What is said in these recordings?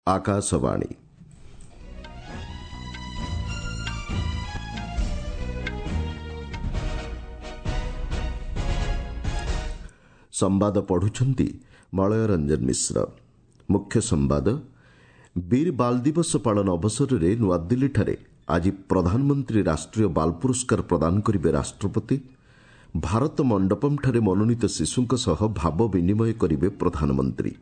ଆକାଶବାଣୀ। ସମ୍ବାଦ ପଢୁଛନ୍ତି ମଳୟ ରଞ୍ଜନ ମିଶ୍ର। ମୁଖ୍ୟ ସମ୍ବାଦ। ବୀର ବାଲ ଦିବସ ପାଳନ ଅବସରରେ ନୂଆଦିଲ୍ଲୀଠାରେ ଆଜି ପ୍ରଧାନମନ୍ତ୍ରୀ ରାଷ୍ଟ୍ରୀୟ ବାଲ ପୁରସ୍କାର ପ୍ରଦାନ କରିବେ ରାଷ୍ଟ୍ରପତି। ଭାରତ ମଣ୍ଡପମ୍ଠାରେ ମନୋନୀତ ଶିଶୁଙ୍କ ସହ ଭାବ ବିନିମୟ କରିବେ ପ୍ରଧାନମନ୍ତ୍ରୀ।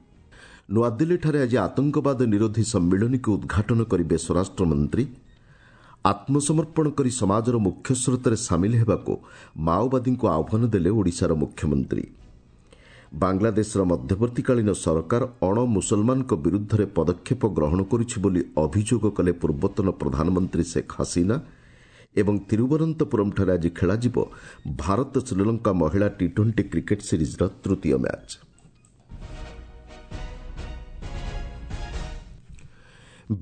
ନୂଆଦିଲ୍ଲୀଠାରେ ଆଜି ଆତଙ୍କବାଦ ନିରୋଧୀ ସମ୍ମିଳନୀକୁ ଉଦ୍ଘାଟନ କରିବେ ସ୍ୱରାଷ୍ଟ୍ରମନ୍ତ୍ରୀ। ଆତ୍ମସମର୍ପଣ କରି ସମାଜର ମୁଖ୍ୟସ୍ରୋତରେ ସାମିଲ ହେବାକୁ ମାଓବାଦୀଙ୍କୁ ଆହ୍ୱାନ ଦେଲେ ଓଡ଼ିଶାର ମୁଖ୍ୟମନ୍ତ୍ରୀ। ବାଂଲାଦେଶର ମଧ୍ୟବର୍ତ୍ତୀକାଳୀନ ସରକାର ଅଣ ମୁସଲମାନଙ୍କ ବିରୁଦ୍ଧରେ ପଦକ୍ଷେପ ଗ୍ରହଣ କରୁଛି ବୋଲି ଅଭିଯୋଗ କଲେ ପୂର୍ବତନ ପ୍ରଧାନମନ୍ତ୍ରୀ ଶେଖ୍ ହାସିନା। ଏବଂ ତିରୁବନନ୍ତପୁରମ୍ଠାରେ ଆଜି ଖେଳାଯିବ ଭାରତ ଶ୍ରୀଲଙ୍କା ମହିଳା ଟି ଟ୍ୱେଣ୍ଟି କ୍ରିକେଟ୍ ସିରିଜ୍ର ତୃତୀୟ ମ୍ୟାଚ୍।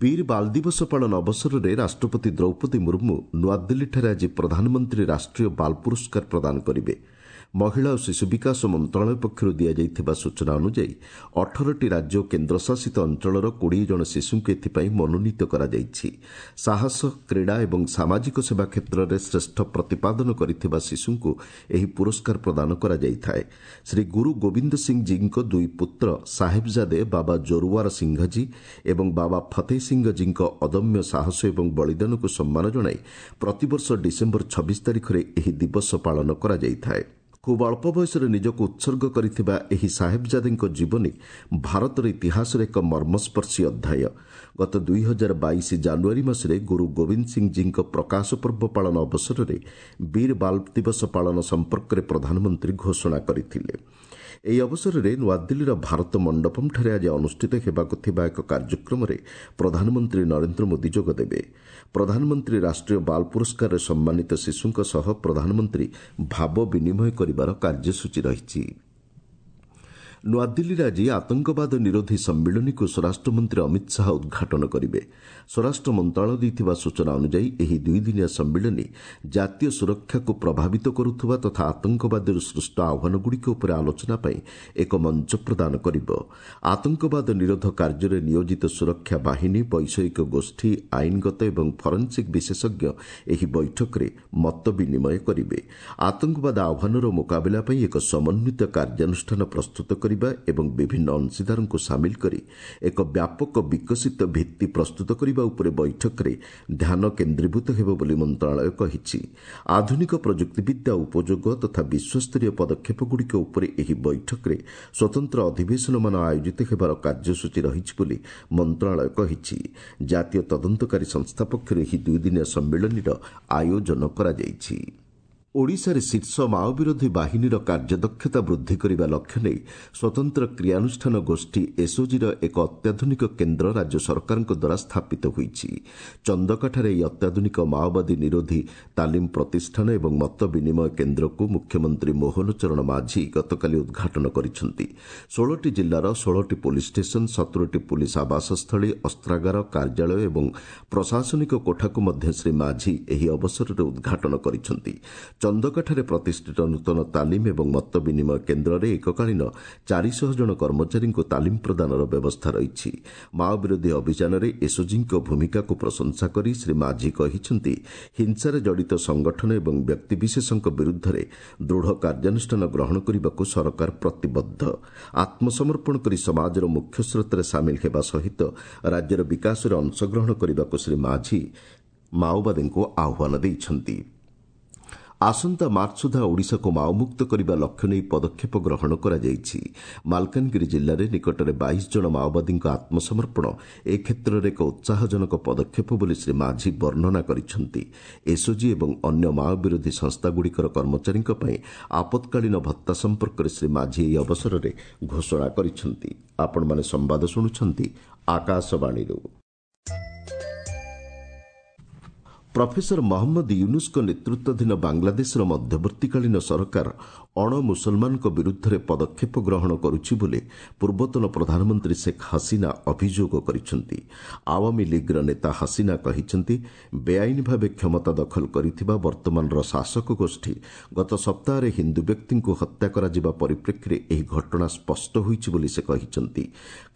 ବୀର ବାଲ ଦିବସ ପାଳନ ଅବସରରେ ରାଷ୍ଟ୍ରପତି ଦ୍ରୌପଦୀ ମୁର୍ମୁ ନୂଆଦିଲ୍ଲୀଠାରେ ଆଜି ପ୍ରଧାନମନ୍ତ୍ରୀ ରାଷ୍ଟ୍ରୀୟ ବାଲ ପୁରସ୍କାର ପ୍ରଦାନ କରିବେ। ମହିଳା ଓ ଶିଶୁ ବିକାଶ ମନ୍ତ୍ରଣାଳୟ ପକ୍ଷରୁ ଦିଆଯାଇଥିବା ସୂଚନା ଅନୁଯାୟୀ 18ଟି ରାଜ୍ୟ ଓ କେନ୍ଦ୍ରଶାସିତ ଅଞ୍ଚଳର 20 ଜଣ ଶିଶୁଙ୍କୁ ଏଥିପାଇଁ ମନୋନୀତ କରାଯାଇଛି। ସାହସ, କ୍ରୀଡ଼ା ଏବଂ ସାମାଜିକ ସେବା କ୍ଷେତ୍ରରେ ଶ୍ରେଷ୍ଠ ପ୍ରତିପାଦନ କରିଥିବା ଶିଶୁଙ୍କୁ ଏହି ପୁରସ୍କାର ପ୍ରଦାନ କରାଯାଇଥାଏ। ଶ୍ରୀ ଗୁରୁ ଗୋବିନ୍ଦ ସିଂ ଜୀଙ୍କ ଦୁଇ ପୁତ୍ର ସାହେବଜାଦେ ବାବା ଜୋରୱାର ସିଂହଜୀ ଏବଂ ବାବା ଫତେହ ସିଂହଜୀଙ୍କ ଅଦମ୍ୟ ସାହସ ଏବଂ ବଳିଦାନକୁ ସମ୍ମାନ ଜଣାଇ ପ୍ରତିବର୍ଷ ଡିସେମ୍ବର 26 ତାରିଖରେ ଏହି ଦିବସ ପାଳନ କରାଯାଇଥାଏ। ଖୁବ୍ ଅଳ୍ପ ବୟସରେ ନିଜକୁ ଉତ୍ସର୍ଗ କରିଥିବା ଏହି ସାହେବଜାଦେଙ୍କ ଜୀବନୀ ଭାରତର ଇତିହାସରେ ଏକ ମର୍ମସ୍ପର୍ଶୀ ଅଧ୍ୟାୟ। ଗତ 2022 ଜାନୁଆରୀ ମାସରେ ଗୁରୁ ଗୋବିନ୍ଦ ସିଂଜୀଙ୍କ ପ୍ରକାଶ ପର୍ବ ପାଳନ ଅବସରରେ ବୀର ବାଲ ଦିବସ ପାଳନ ସମ୍ପର୍କରେ ପ୍ରଧାନମନ୍ତ୍ରୀ ଘୋଷଣା କରିଥିଲେ। ଏହି ଅବସରରେ ନୂଆଦିଲ୍ଲୀର ଭାରତ ମଣ୍ଡପମ୍ଠାରେ ଆଜି ଅନୁଷ୍ଠିତ ହେବାକୁ ଥିବା ଏକ କାର୍ଯ୍ୟକ୍ରମରେ ପ୍ରଧାନମନ୍ତ୍ରୀ ନରେନ୍ଦ୍ର ମୋଦି ଯୋଗଦେବେ। ପ୍ରଧାନମନ୍ତ୍ରୀ ରାଷ୍ଟ୍ରୀୟ ବାଲ ପୁରସ୍କାରରେ ସମ୍ମାନିତ ଶିଶୁଙ୍କ ସହ ପ୍ରଧାନମନ୍ତ୍ରୀ ଭାବ ବିନିମୟ କରିବାର କାର୍ଯ୍ୟସୂଚୀ ରହିଛି। ନୂଆଦିଲ୍ଲୀରେ ଆଜି ଆତଙ୍କବାଦ ନିରୋଧୀ ସମ୍ମିଳନୀକୁ ସ୍ୱରାଷ୍ଟ୍ରମନ୍ତ୍ରୀ ଅମିତ ଶାହା ଉଦ୍ଘାଟନ କରିବେ। ସ୍ୱରାଷ୍ଟ୍ର ମନ୍ତ୍ରଣାଳୟ ଦେଇଥିବା ସୂଚନା ଅନୁଯାୟୀ ଏହି ଦୁଇଦିନିଆ ସମ୍ମିଳନୀ ଜାତୀୟ ସୁରକ୍ଷାକୁ ପ୍ରଭାବିତ କରୁଥିବା ତଥା ଆତଙ୍କବାଦରୁ ସୃଷ୍ଟ ଆହ୍ୱାନଗୁଡ଼ିକ ଉପରେ ଆଲୋଚନା ପାଇଁ ଏକ ମଞ୍ଚ ପ୍ରଦାନ କରିବ। ଆତଙ୍କବାଦ ନିରୋଧ କାର୍ଯ୍ୟରେ ନିୟୋଜିତ ସୁରକ୍ଷା ବାହିନୀ, ବୈଷୟିକ ଗୋଷ୍ଠୀ, ଆଇନଗତ ଏବଂ ଫରେନ୍ସିକ୍ ବିଶେଷଜ୍ଞ ଏହି ବୈଠକରେ ମତ ବିନିମୟ କରିବେ। ଆତଙ୍କବାଦ ଆହ୍ୱାନର ମୁକାବିଲା ପାଇଁ ଏକ ସମନ୍ୱିତ କାର୍ଯ୍ୟାନୁଷ୍ଠାନ ପ୍ରସ୍ତୁତ କରିବା ଏବଂ ବିଭିନ୍ନ ଅଂଶୀଦାରଙ୍କୁ ସାମିଲ କରି ଏକ ବ୍ୟାପକ ବିକଶିତ ଭିତ୍ତି ପ୍ରସ୍ତୁତ କରିବା ଉପରେ ବୈଠକରେ ଧ୍ୟାନ କେନ୍ଦ୍ରୀଭୂତ ହେବ ବୋଲି ମନ୍ତ୍ରଣାଳୟ କହିଛି। ଆଧୁନିକ ପ୍ରଯୁକ୍ତିବିଦ୍ୟା ଉପଯୋଗ ତଥା ବିଶ୍ୱସ୍ତରୀୟ ପଦକ୍ଷେପଗୁଡ଼ିକ ଉପରେ ଏହି ବୈଠକରେ ସ୍ୱତନ୍ତ୍ର ଅଧିବେଶନମାନ ଆୟୋଜିତ ହେବାର କାର୍ଯ୍ୟସୂଚୀ ରହିଛି ବୋଲି ମନ୍ତ୍ରଣାଳୟ କହିଛି। ଜାତୀୟ ତଦନ୍ତକାରୀ ସଂସ୍ଥା ପକ୍ଷରୁ ଏହି ଦୁଇଦିନିଆ ସମ୍ମିଳନୀର ଆୟୋଜନ କରାଯାଇଛି। ଓଡ଼ିଶାରେ ଶୀର୍ଷ ମାଓବିରୋଧୀ ବାହିନୀର କାର୍ଯ୍ୟଦକ୍ଷତା ବୃଦ୍ଧି କରିବା ଲକ୍ଷ୍ୟ ନେଇ ସ୍ୱତନ୍ତ୍ର କ୍ରିୟାନୁଷ୍ଠାନ ଗୋଷ୍ଠୀ ଏସ୍ଓଜିର ଏକ ଅତ୍ୟାଧୁନିକ କେନ୍ଦ୍ର ରାଜ୍ୟ ସରକାରଙ୍କ ଦ୍ୱାରା ସ୍ଥାପିତ ହୋଇଛି। ଚନ୍ଦକାଠାରେ ଏହି ଅତ୍ୟାଧୁନିକ ମାଓବାଦୀ ନିରୋଧୀ ତାଲିମ ପ୍ରତିଷ୍ଠାନ ଏବଂ ମତ ବିନିମୟ କେନ୍ଦ୍ରକୁ ମୁଖ୍ୟମନ୍ତ୍ରୀ ମୋହନ ଚରଣ ମାଝୀ ଗତକାଲି ଉଦ୍ଘାଟନ କରିଛନ୍ତି। 16ଟି ଜିଲ୍ଲାର 16ଟି ପୋଲିସ୍ ଷ୍ଟେସନ, 17ଟି ପୋଲିସ୍ ଆବାସସ୍ଥଳୀ, ଅସ୍ତ୍ରାଗାର, କାର୍ଯ୍ୟାଳୟ ଏବଂ ପ୍ରଶାସନିକ କୋଠାକୁ ମଧ୍ୟ ଶ୍ରୀ ମାଝୀ ଏହି ଅବସରରେ ଉଦ୍ଘାଟନ କରିଛନ୍ତି। ଚନ୍ଦକାଠାରେ ପ୍ରତିଷ୍ଠିତ ନୂତନ ତାଲିମ ଏବଂ ମତ ବିନିମୟ କେନ୍ଦ୍ରରେ ଏକକାଳୀନ 400 ଜଣ କର୍ମଚାରୀଙ୍କୁ ତାଲିମ ପ୍ରଦାନର ବ୍ୟବସ୍ଥା ରହିଛି। ମାଓବିରୋଧୀ ଅଭିଯାନରେ ଏସ୍ଓଜିଙ୍କ ଭୂମିକାକୁ ପ୍ରଶଂସା କରି ଶ୍ରୀ ମାଝୀ କହିଛନ୍ତି, ହିଂସାରେ ଜଡ଼ିତ ସଂଗଠନ ଏବଂ ବ୍ୟକ୍ତିବିଶେଷଙ୍କ ବିରୁଦ୍ଧରେ ଦୃଢ଼ କାର୍ଯ୍ୟାନୁଷ୍ଠାନ ଗ୍ରହଣ କରିବାକୁ ସରକାର ପ୍ରତିବଦ୍ଧ। ଆତ୍ମସମର୍ପଣ କରି ସମାଜର ମୁଖ୍ୟସ୍ରୋତରେ ସାମିଲ ହେବା ସହିତ ରାଜ୍ୟର ବିକାଶରେ ଅଂଶଗ୍ରହଣ କରିବାକୁ ଶ୍ରୀ ମାଝୀ ମାଓବାଦୀଙ୍କୁ ଆହ୍ୱାନ ଦେଇଛନ୍ତି। ଆସନ୍ତା ମାର୍ଚ୍ଚ ସୁଦ୍ଧା ଓଡ଼ିଶାକୁ ମାଓମୁକ୍ତ କରିବା ଲକ୍ଷ୍ୟ ନେଇ ପଦକ୍ଷେପ ଗ୍ରହଣ କରାଯାଇଛି। ମାଲକାନଗିରି ଜିଲ୍ଲାରେ ନିକଟରେ 22 ଜଣ ମାଓବାଦୀଙ୍କ ଆତ୍ମସମର୍ପଣ ଏ କ୍ଷେତ୍ରରେ ଏକ ଉତ୍ସାହଜନକ ପଦକ୍ଷେପ ବୋଲି ଶ୍ରୀ ମାଝୀ ବର୍ଣ୍ଣନା କରିଛନ୍ତି। ଏସ୍ଓଜି ଏବଂ ଅନ୍ୟ ମାଓବିରୋଧୀ ସଂସ୍ଥାଗୁଡ଼ିକର କର୍ମଚାରୀଙ୍କ ପାଇଁ ଆପତ୍କାଳୀନ ଭତ୍ତା ସମ୍ପର୍କରେ ଶ୍ରୀ ମାଝୀ ଏହି ଅବସରରେ ଘୋଷଣା କରିଛନ୍ତି। ଆପଣମାନେ ସମ୍ବାଦ ଶୁଣୁଛନ୍ତି ଆକାଶବାଣୀରୁ। ପ୍ରଫେସର ମହମ୍ମଦ ୟୁନୁସ୍ଙ୍କ ନେତୃତ୍ୱାଧୀନ ବାଂଲାଦେଶର ମଧ୍ୟବର୍ତ୍ତୀକାଳୀନ ସରକାର ଅଣମୁସଲମାନଙ୍କ ବିରୁଦ୍ଧରେ ପଦକ୍ଷେପ ଗ୍ରହଣ କରୁଛି ବୋଲି ପୂର୍ବତନ ପ୍ରଧାନମନ୍ତ୍ରୀ ଶେଖ୍ ହସିନା ଅଭିଯୋଗ କରିଛନ୍ତି। ଆୱାମୀ ଲିଗ୍ର ନେତା ହସିନା କହିଛନ୍ତି, ବେଆଇନ ଭାବେ କ୍ଷମତା ଦଖଲ କରିଥିବା ବର୍ତ୍ତମାନର ଶାସକ ଗୋଷ୍ଠୀ ଗତ ସପ୍ତାହରେ ହିନ୍ଦୁ ବ୍ୟକ୍ତିଙ୍କୁ ହତ୍ୟା କରାଯିବା ପରିପ୍ରେକ୍ଷୀରେ ଏହି ଘଟଣା ସ୍ପଷ୍ଟ ହୋଇଛି ବୋଲି ସେ କହିଛନ୍ତି।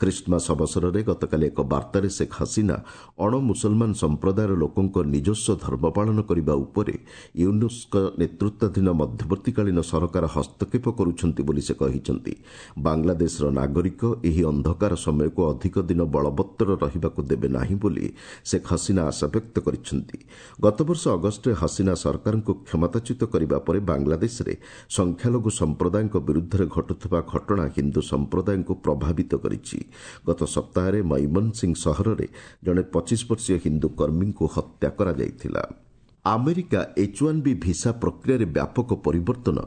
ଖ୍ରୀଷ୍ଟମାସ ଅବସରରେ ଗତକାଲି ଏକ ବାର୍ତ୍ତାରେ ଶେଖ୍ ହସିନା ଅଣମୁସଲମାନ ସମ୍ପ୍ରଦାୟର ଲୋକଙ୍କ ନିଜସ୍ୱ ଧର୍ମ ପାଳନ କରିବା ଉପରେ ୟୁନୁସ୍ଙ୍କ ନେତୃତ୍ୱାଧୀନ ମଧ୍ୟବର୍ତ୍ତୀକାଳୀନ ସରକାର ହସ୍ତକ୍ଷେପ କରୁଛନ୍ତି ବୋଲି ସେ କହିଛନ୍ତି। ବାଂଲାଦେଶର ନାଗରିକ ଏହି ଅନ୍ଧକାର ସମୟକୁ ଅଧିକ ଦିନ ବଳବତ୍ତର ରହିବାକୁ ଦେବେ ନାହିଁ ବୋଲି ଶେଖ୍ ହସିନା ଆଶାବ୍ୟକ୍ତ କରିଛନ୍ତି। ଗତବର୍ଷ ଅଗଷ୍ଟରେ ହସିନା ସରକାରଙ୍କୁ କ୍ଷମତାଚ୍ୟୁତ କରିବା ପରେ ବାଂଲାଦେଶରେ ସଂଖ୍ୟାଲଘୁ ସମ୍ପ୍ରଦାୟଙ୍କ ବିରୁଦ୍ଧରେ ଘଟୁଥିବା ଘଟଣା ହିନ୍ଦୁ ସମ୍ପ୍ରଦାୟଙ୍କୁ ପ୍ରଭାବିତ କରିଛି। ଗତ ସପ୍ତାହରେ ମୈମନସିଂ ସହରରେ ଜଣେ 25 ବର୍ଷୀୟ ହିନ୍ଦୁ କର୍ମୀଙ୍କୁ ହତ୍ୟା କରାଯାଇଥିଲା। ଆମେରିକା H-1B visa ପ୍ରକ୍ରିୟାରେ ବ୍ୟାପକ ପରିବର୍ତ୍ତନ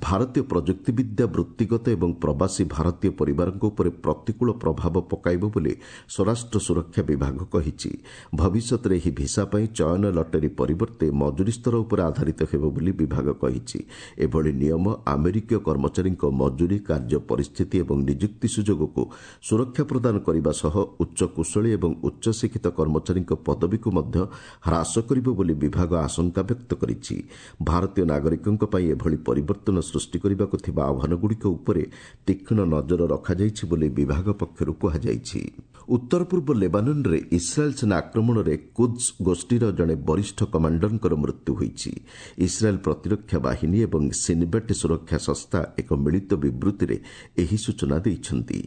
ଭାରତୀୟ ପ୍ରଯୁକ୍ତିବିଦ୍ୟା, ବୃତ୍ତିଗତ ଏବଂ ପ୍ରବାସୀ ଭାରତୀୟ ପରିବାରଙ୍କ ଉପରେ ପ୍ରତିକୂଳ ପ୍ରଭାବ ପକାଇବ ବୋଲି ସ୍ୱରାଷ୍ଟ୍ର ସୁରକ୍ଷା ବିଭାଗ କହିଛି। ଭବିଷ୍ୟତରେ ଏହି ଭିସା ପାଇଁ ଚୟନ ଲଟେରୀ ପରିବର୍ତ୍ତେ ମଜୁରୀ ସ୍ତର ଉପରେ ଆଧାରିତ ହେବ ବୋଲି ବିଭାଗ କହିଛି। ଏଭଳି ନିୟମ ଆମେରିକୀୟ କର୍ମଚାରୀଙ୍କ ମଜୁରୀ, କାର୍ଯ୍ୟ ପରିସ୍ଥିତି ଏବଂ ନିଯୁକ୍ତି ସୁଯୋଗକୁ ସୁରକ୍ଷା ପ୍ରଦାନ କରିବା ସହ ଉଚ୍ଚ କୁଶଳୀ ଏବଂ ଉଚ୍ଚଶିକ୍ଷିତ କର୍ମଚାରୀଙ୍କ ପଦବୀକୁ ମଧ୍ୟ ହ୍ରାସ କରିବ ବୋଲି ବିଭାଗ ଆଶଙ୍କା ବ୍ୟକ୍ତ କରିଛି। ଭାରତୀୟ ନାଗରିକଙ୍କ ପାଇଁ ଏଭଳି ପରିବର୍ତ୍ତନ ସୃଷ୍ଟି କରିବାକୁ ଥିବା ଆହ୍ୱାନଗୁଡ଼ିକ ଉପରେ ତୀକ୍ଷ୍ଣ ନଜର ରଖାଯାଇଛି ବୋଲି ବିଭାଗ ପକ୍ଷରୁ କୁହାଯାଇଛି। ଉତ୍ତର ପୂର୍ବ ଲେବାନନରେ ଇସ୍ରାଏଲ୍ ସେନା ଆକ୍ରମଣରେ କୁଦ୍ସ ଗୋଷ୍ଠୀର ଜଣେ ବରିଷ୍ଠ କମାଣ୍ଡରଙ୍କର ମୃତ୍ୟୁ ହୋଇଛି। ଇସ୍ରାଏଲ୍ ପ୍ରତିରକ୍ଷା ବାହିନୀ ଏବଂ ସିନବେଟ୍ ସୁରକ୍ଷା ସଂସ୍ଥା ଏକ ମିଳିତ ବିବୃତ୍ତିରେ ଏହି ସୂଚନା ଦେଇଛନ୍ତି।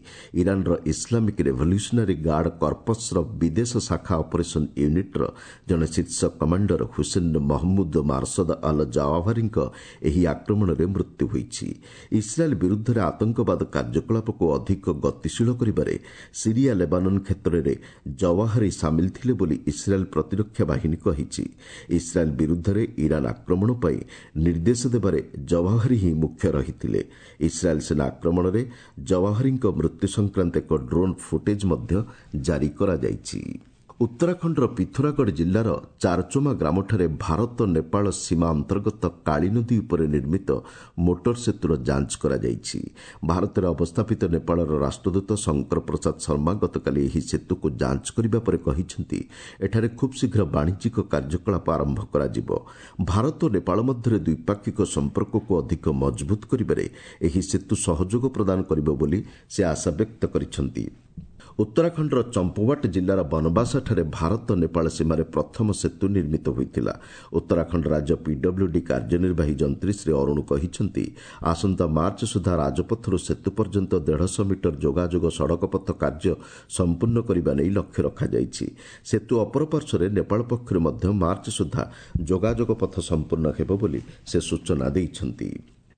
ଇରାନର ଇସଲାମିକ୍ ରେଭଲ୍ୟୁସନାରୀ ଗାର୍ଡ କର୍ପସ୍ର ବିଦେଶ ଶାଖା ଅପରେସନ୍ ୟୁନିଟ୍ର ଜଣେ ଶୀର୍ଷ କମାଣ୍ଡର ହୁସେନ ମହମ୍ମୁଦ ମାର୍ସଦ ଅଲ ଜାୱାଭାରୀଙ୍କ ଏହି ଆକ୍ରମଣରେ ମୃତ୍ୟୁ ହୋଇଛି। ଇସ୍ରାଏଲ୍ ବିରୁଦ୍ଧରେ ଆତଙ୍କବାଦ କାର୍ଯ୍ୟକଳାପକୁ ଅଧିକ ଗତିଶୀଳ କରିବାରେ ସିରିଆ ଲେବାନନ କ୍ଷେତ୍ରରେ ଜୱାହରି ସାମିଲ ଥିଲେ ବୋଲି ଇସ୍ରାଏଲ୍ ପ୍ରତିରକ୍ଷା ବାହିନୀ କହିଛି। ଇସ୍ରାଏଲ୍ ବିରୁଦ୍ଧରେ ଇରାନ ଆକ୍ରମଣ ପାଇଁ ନିର୍ଦ୍ଦେଶ ଦେବାରେ ଜୱାହରି ହିଁ ମୁଖ୍ୟ ରହିଥିଲେ। ଇସ୍ରାଏଲ୍ ସେନା ଆକ୍ରମଣରେ ଜୱାହରିଙ୍କ ମୃତ୍ୟୁ ସଂକ୍ରାନ୍ତ ଏକ ଡ୍ରୋନ୍ ଫୁଟେଜ୍ ମଧ୍ୟ ଜାରି କରାଯାଇଛି। ଉତ୍ତରାଖଣ୍ଡର ପିଥୋରାଗଡ଼ ଜିଲ୍ଲାର ଚାରଚୋମା ଗ୍ରାମଠାରେ ଭାରତ ନେପାଳ ସୀମା ଅନ୍ତର୍ଗତ କାଳୀ ନଦୀ ଉପରେ ନିର୍ମିତ ମୋଟର ସେତୁର ଯାଞ୍ଚ କରାଯାଇଛି। ଭାରତରେ ଅବସ୍ଥାପିତ ନେପାଳର ରାଷ୍ଟ୍ରଦୂତ ଶଙ୍କର ପ୍ରସାଦ ଶର୍ମା ଗତକାଲି ଏହି ସେତୁକୁ ଯାଞ୍ଚ କରିବା ପରେ କହିଛନ୍ତି, ଏଠାରେ ଖୁବ୍ ଶୀଘ୍ର ବାଣିଜ୍ୟିକ କାର୍ଯ୍ୟକଳାପ ଆରମ୍ଭ କରାଯିବ। ଭାରତ ଓ ନେପାଳ ମଧ୍ୟରେ ଦ୍ୱିପାକ୍ଷିକ ସମ୍ପର୍କକୁ ଅଧିକ ମଜବୁତ କରିବାରେ ଏହି ସେତୁ ସହଯୋଗ ପ୍ରଦାନ କରିବ ବୋଲି ସେ ଆଶାବ୍ୟକ୍ତ କରିଛନ୍ତି। ଉତ୍ତରାଖଣ୍ଡର ଚମ୍ପୱାଟ ଜିଲ୍ଲାର ବନବାସାଠାରେ ଭାରତ ନେପାଳ ସୀମାରେ ପ୍ରଥମ ସେତୁ ନିର୍ମିତ ହୋଇଥିଲା। ଉତ୍ତରାଖଣ୍ଡ ରାଜ୍ୟ ପିଡବ୍ଲ୍ୟୁଡି କାର୍ଯ୍ୟନିର୍ବାହୀ ଯନ୍ତ୍ରୀ ଶ୍ରୀ ଅରୁଣ କହିଛନ୍ତି, ଆସନ୍ତା ମାର୍ଚ୍ଚ ସୁଦ୍ଧା ରାଜପଥରୁ ସେତୁ ପର୍ଯ୍ୟନ୍ତ 150 ମିଟର ଯୋଗାଯୋଗ ସଡ଼କପଥ କାର୍ଯ୍ୟ ସମ୍ପୂର୍ଣ୍ଣ କରିବା ନେଇ ଲକ୍ଷ୍ୟ ରଖାଯାଇଛି। ସେତୁ ଅପରପାର୍ଶ୍ୱରେ ନେପାଳ ପକ୍ଷରୁ ମଧ୍ୟ ମାର୍ଚ୍ଚ ସୁଦ୍ଧା ଯୋଗାଯୋଗ ପଥ ସମ୍ପୂର୍ଣ୍ଣ ହେବ ବୋଲି ସେ ସୂଚନା ଦେଇଛନ୍ତି।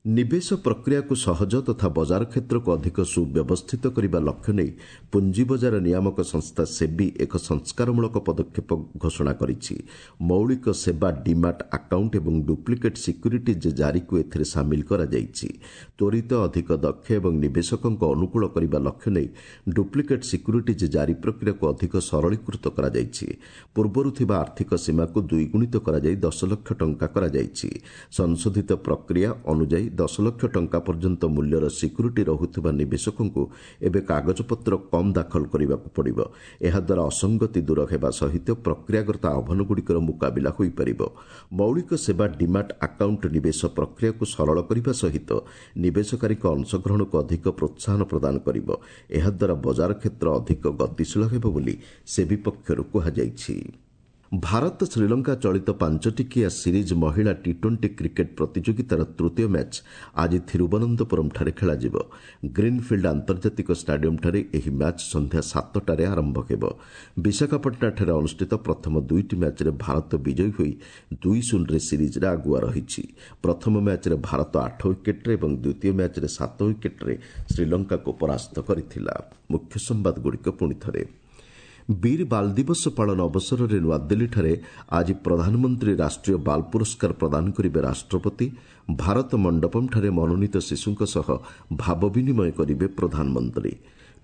ନିବେଶ ପ୍ରକ୍ରିୟାକୁ ସହଜ ତଥା ବଜାର କ୍ଷେତ୍ରକୁ ଅଧିକ ସୁବ୍ୟବସ୍ଥିତ କରିବା ଲକ୍ଷ୍ୟ ନେଇ ପୁଞ୍ଜି ବଜାର ନିୟାମକ ସଂସ୍ଥା ସେବି ଏକ ସଂସ୍କାରମୂଳକ ପଦକ୍ଷେପ ଘୋଷଣା କରିଛି। ମୌଳିକ ସେବା ଡିମାଟ୍ ଆକାଉଣ୍ଟ ଏବଂ ଡୁପ୍ଲିକେଟ୍ ସିକ୍ୟୁରିଟିଜ୍ ଜାରିକୁ ଏଥିରେ ସାମିଲ କରାଯାଇଛି। ତ୍ୱରିତ, ଅଧିକ ଦକ୍ଷ ଏବଂ ନିବେଶକଙ୍କ ଅନୁକୂଳ କରିବା ଲକ୍ଷ୍ୟ ନେଇ ଡୁପ୍ଲିକେଟ୍ ସିକ୍ୟୁରିଟିଜ୍ ଜାରି ପ୍ରକ୍ରିୟାକୁ ଅଧିକ ସରଳୀକୃତ କରାଯାଇଛି। ପୂର୍ବରୁ ଥିବା ଆର୍ଥିକ ସୀମାକୁ ଦ୍ୱିଗୁଣିତ କରାଯାଇ 10 ଲକ୍ଷ ଟଙ୍କା କରାଯାଇଛି। ସଂଶୋଧିତ ପ୍ରକ୍ରିୟା ଅନୁଯାୟୀ 10 ଲକ୍ଷ ଟଙ୍କା ପର୍ଯ୍ୟନ୍ତ ମୂଲ୍ୟର ସିକ୍ୟୁରିଟି ରହୁଥିବା ନିବେଶକଙ୍କୁ ଏବେ କାଗଜପତ୍ର କମ୍ ଦାଖଲ କରିବାକୁ ପଡ଼ିବ। ଏହାଦ୍ୱାରା ଅସଙ୍ଗତି ଦୂର ହେବା ସହିତ ପ୍ରକ୍ରିୟାଗତ ଆହ୍ୱାନଗୁଡ଼ିକର ମୁକାବିଲା ହୋଇପାରିବ। ମୌଳିକ ସେବା ଡିମାଟ୍ ଆକାଉଣ୍ଟ ନିବେଶ ପ୍ରକ୍ରିୟାକୁ ସରଳ କରିବା ସହିତ ନିବେଶକାରୀଙ୍କ ଅଂଶଗ୍ରହଣକୁ ଅଧିକ ପ୍ରୋତ୍ସାହନ ପ୍ରଦାନ କରିବ। ଏହାଦ୍ୱାରା ବଜାର କ୍ଷେତ୍ର ଅଧିକ ଗତିଶୀଳ ହେବ ବୋଲି ସେବି ପକ୍ଷରୁ କୁହାଯାଇଛି। ଭାରତ ଶ୍ରୀଲଙ୍କା ଚଳିତ 5 ଟିକିଆ ସିରିଜ୍ ମହିଳା ଟି-20 କ୍ରିକେଟ୍ ପ୍ରତିଯୋଗିତାର ତୃତୀୟ ମ୍ୟାଚ୍ ଆଜି ଥିରୁବନନ୍ତପୁରମ୍ଠାରେ ଖେଳାଯିବ। ଗ୍ରୀନ୍ଫିଲ୍ଡ ଆନ୍ତର୍ଜାତିକ ଷ୍ଟାଡିୟମ୍ଠାରେ ଏହି ମ୍ୟାଚ୍ ସନ୍ଧ୍ୟା 7ଟାରେ ଆରମ୍ଭ ହେବ। ବିଶାଖାପାଟଣାଠାରେ ଅନୁଷ୍ଠିତ ପ୍ରଥମ ଦୁଇଟି ମ୍ୟାଚ୍ରେ ଭାରତ ବିଜୟୀ ହୋଇ 2-0ରେ ସିରିଜ୍ରେ ଆଗୁଆ ରହିଛି। ପ୍ରଥମ ମ୍ୟାଚ୍ରେ ଭାରତ 8 ୱିକେଟ୍ରେ ଏବଂ ଦ୍ୱିତୀୟ ମ୍ୟାଚ୍ରେ 7 ୱିକେଟ୍ରେ ଶ୍ରୀଲଙ୍କାକୁ ପରାସ୍ତ କରିଥିଲା। ମୁଖ୍ୟ ସମ୍ବାଦଗୁଡ଼ିକ ପୁଣିଥରେ। ବୀର ବାଲ ଦିବସ ପାଳନ ଅବସରରେ ନୂଆଦିଲ୍ଲୀଠାରେ ଆଜି ପ୍ରଧାନମନ୍ତ୍ରୀ ରାଷ୍ଟ୍ରୀୟ ବାଲ ପୁରସ୍କାର ପ୍ରଦାନ କରିବେ ରାଷ୍ଟ୍ରପତି। ଭାରତ ମଣ୍ଡପମ୍ଠାରେ ମନୋନୀତ ଶିଶୁଙ୍କ ସହ ଭାବ ବିନିମୟ କରିବେ ପ୍ରଧାନମନ୍ତ୍ରୀ।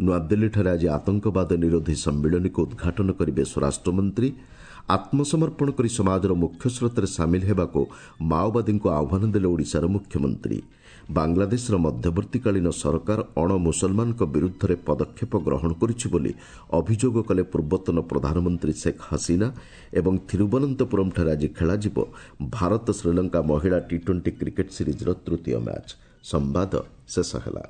ନୂଆଦିଲ୍ଲୀଠାରେ ଆଜି ଆତଙ୍କବାଦ ନିରୋଧୀ ସମ୍ମିଳନୀକୁ ଉଦ୍ଘାଟନ କରିବେ ସ୍ୱରାଷ୍ଟ୍ରମନ୍ତ୍ରୀ। ଆତ୍ମସମର୍ପଣ କରି ସମାଜର ମୁଖ୍ୟସ୍ରୋତରେ ସାମିଲ ହେବାକୁ ମାଓବାଦୀଙ୍କୁ ଆହ୍ୱାନ ଦେଲେ ଓଡ଼ିଶାର ମୁଖ୍ୟମନ୍ତ୍ରୀ। ବାଂଲାଦେଶର ମଧ୍ୟବର୍ତ୍ତୀକାଳୀନ ସରକାର ଅଣ ମୁସଲମାନଙ୍କ ବିରୁଦ୍ଧରେ ପଦକ୍ଷେପ ଗ୍ରହଣ କରୁଛି ବୋଲି ଅଭିଯୋଗ କଲେ ପୂର୍ବତନ ପ୍ରଧାନମନ୍ତ୍ରୀ ଶେଖ୍ ହସିନା। ଏବଂ ଥିରୁବନନ୍ତପୁରମ୍ଠାରେ ଆଜି ଖେଳାଯିବ ଭାରତ ଶ୍ରୀଲଙ୍କା ମହିଳା ଟି 20 କ୍ରିକେଟ୍ ସିରିଜ୍ର ତୃତୀୟ ମ୍ୟାଚ୍। ସମ୍ବାଦ ଶେଷ ହେଲା।